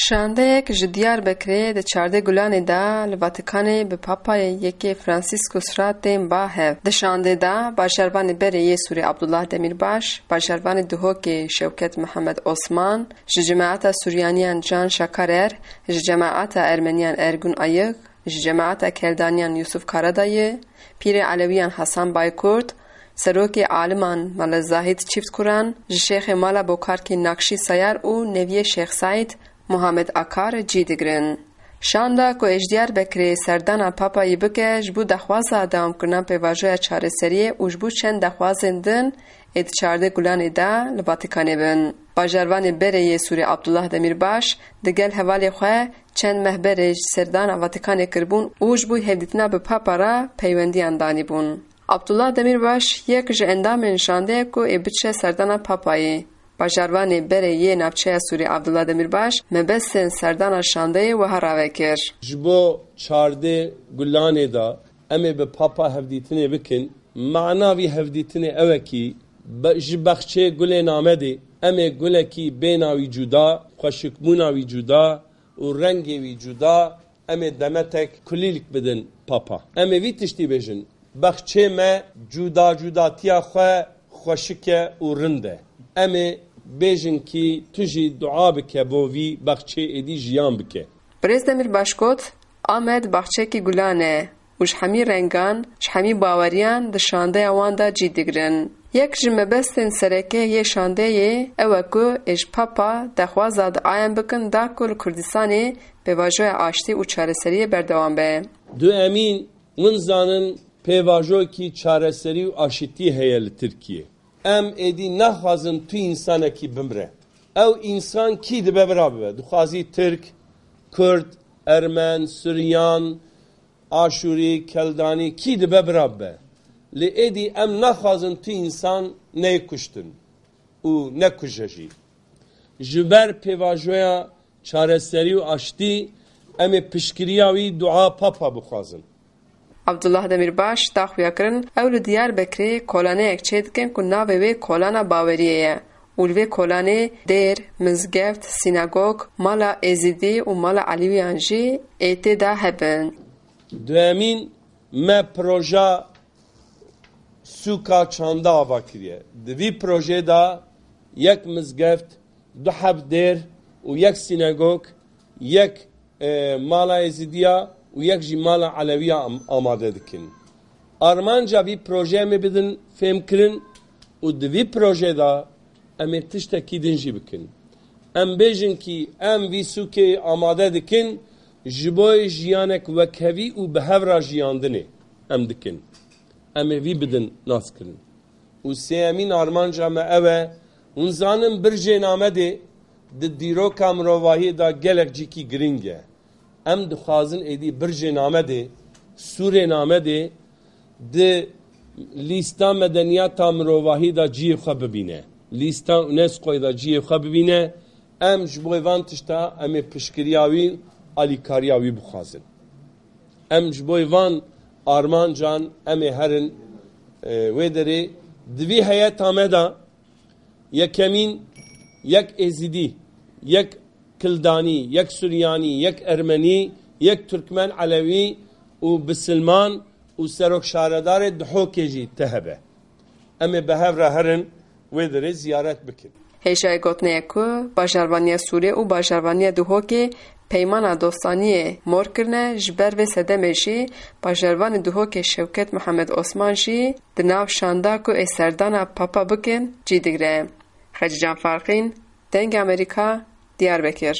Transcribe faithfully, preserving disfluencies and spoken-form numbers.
Şandeyek ji Diyarbekirê di çardeh Gulanê de li Vatikanê bi Papayê Yekê Franciscus re tên ba hev. Di şandê de bajarvanê berê yê Sûrê Abdullah Demirbaş, bajarvanê Duhokê Şewket Mihemed Osman, ji cemaeta Suryaniyan Can Şakarer, ji cemaeta Ermeniyan Ergun Ayık, ji cemaeta Keldaniyan Yusuf Karadayı, Pîrê Elewiyan Hasan Baykurt, Serokê Aliman Mele Zahid Çiftkuran, ji Şêxê Mala Bokarkê Nakşî Sayar û Neviyê Şêx Saîd Muhammed Akar cî digirin. Şanda ku ê ji Diyarbekirê serdana Papayî bike, ji bo daxwaza dewamkirina pêvajoya çareseriyê û ji bo çend daxwazên din ê di çardeh Gulanê de li Vatikanê bin. Bajarvanê berê yê Sûrê Abdullah Demirbaş digel hevalê xwe çend meh berê ji serdana Vatikanê kiribûn û ji bo hevdîtina bi Papa re peywendiyan danîbûn. Abdullah Demirbaş yek ji endamên şandeyê ku ê biçe serdana Papayê. Bajarvanê berê yê navçeya Sûrê Abdullah Demirbaş mebestên serdana şandeyê wiha ravekir. Ji bo çardeh Gulanê de em ê bi Papa hevdîtinê bikin. Mana vî hevdîtinê ew e kî be-, ji baxçê Gulên Amedê em ê gulekî bêna wî cuda, xweşikbûna wî cuda û rengê wî cuda, em ê demetek kulîlk bidin Papa. Em ê vî tiştî bêjin. Baxçê me cuda cudatiya xwe xweşik e û rind e. Em ê bêjin kî tu jî dua bike bo vî baxçê êdî jiyan bike. Birêz Demirbaş got, Amed baxçekî gulan e û ji hemî rengan, ji hemî baweriyan di şandeya wan de cî digirin. Yek ji mebestên sereke yê şandeyê ew e ku ê ji Papa daxwaza diayan bikin da ku li Kurdistanê pêvajoya aştî û çareseriyê berdewam be. Du Emîn, hûn zanin pêvajokî çareserî û aşitî heye li Tirkiyê. Em êdî naxwazin tu însanekî bimre. Ew însan kî dibe bira bibe. Dixwazî Tirk, Kurd, Ermen, Suryan, Aşûrî, Keldanî kî dibe bira bibe. Lê êdî em naxwazin tu însan neyê kuştin û nekuje jî. Ji ber pêvajoya çareserî û aştî em ê piştgiriya wî dua Papa bixwazin. Abdullah Demirbaş da xuyakirin, ew li Diyarbekirê kolaneyek çêdikin ku navê wê kolana baweriyê ye û li vê kolanê dêr, mizgeft, sînagog, mala Êzidî û mala Elîwiyan jî ê tê de hebin. Duyemîn, me proja sûka çanda ava kiriye. Di vî projeyê de yek mizgeft, du heb dêr û yek sînagog, yek, e, mala Êzidiya û yek jî mala Elewiya am-, amade dikin. Armanca vî projeyê em ê bidin fêmkirin û di vî projeyê de em ê tiştekî din jî bikin. Em bêjin kî em vî sûkê amade dikin, ji bo jiyanek wekhevî û bi hev re jiyandinê em dikin. Em ê vî bidin naskirin. Û sêyemîn armanca me ew e, hûn zanin Bircên Amedê di dîroka mirovahiyê de gelek cîkî girîng e. Em dixwazin êdî Bircên Amedê, Sûrên Amedê di lîsta medeniyata mirovahî de cihê xwe bibîne. Lîsta UNESCOyê de cihê xwe bibîne. Em ji bo van tişta em ê piştgiriya wî, alîkariya wî bixwazin. Em ji bo van armancan em ê herin, e, wê derê di vî heyeta me de yekemîn yek Êzidî, yek Kildanî, yek Suryanî, yek Ermenî, yek Turkmen Elewî û Bisilman û Serok Şaredarê Dihokê jî te hebe. Em ê bi hev re herin wê derê ziyaret bikin. Hêjayê gotinê ye ku bajarvaniya Sûrê û bajarvaniya Duhokê peymana dostaniyê mor kirine, ji ber vê sedemê jî bajarvanê Duhokê Şewket Mihemed Osman jî di nav şanda ku ê serdana Papa bikin cî digire. Xecîcan Farqîn, Dengê Amerîka, Diyarbekir.